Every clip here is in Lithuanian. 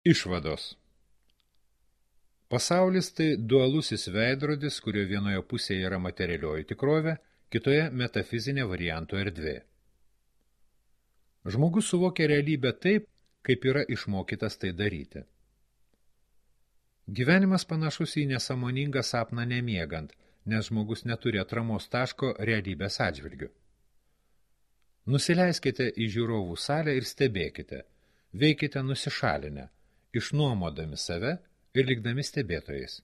Išvados. Pasaulis tai dualusis veidrodis, kurio vienoje pusėje yra materialioji tikrovė, kitoje metafizinė varianto erdvė. Žmogus suvokia realybę taip, kaip yra išmokytas tai daryti. Gyvenimas panašus į nesąmoningą sapną nemiegant, nes žmogus neturi atramos taško realybės atžvilgiu. Nusileiskite į žiūrovų salę ir stebėkite, veikite nusišalinę, išnuomodami save ir likdami stebėtojais.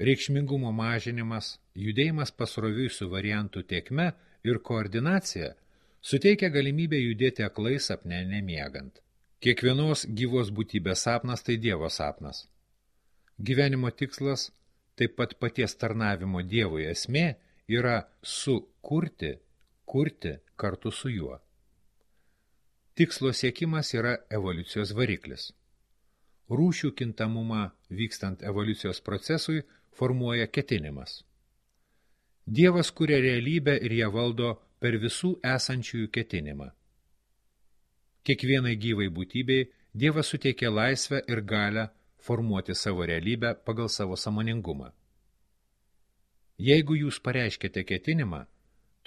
Reikšmingumo mažinimas, judėjimas pasroviui su variantų tėkme ir koordinacija suteikia galimybę judėti aklai sapne nemiegant. Kiekvienos gyvos būtybės sapnas tai Dievo sapnas. Gyvenimo tikslas, taip pat paties tarnavimo Dievui esmė, yra sukurti, kurti kartu su juo. Tikslo siekimas yra evoliucijos variklis. Rūšių kintamumą vykstant evoliucijos procesui formuoja ketinimas. Dievas kuria realybę ir ją valdo per visų esančiųjų ketinimą. Kiekvienai gyvai būtybei Dievas suteikė laisvę ir galią formuoti savo realybę pagal savo sąmoningumą. Jeigu jūs pareiškite ketinimą,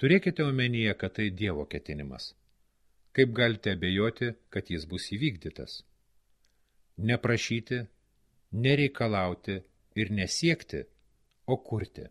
turėkite omenyje, kad tai Dievo ketinimas. Kaip galite abejoti, kad jis bus įvykdytas? Neprašyti, nereikalauti ir nesiekti, o kurti.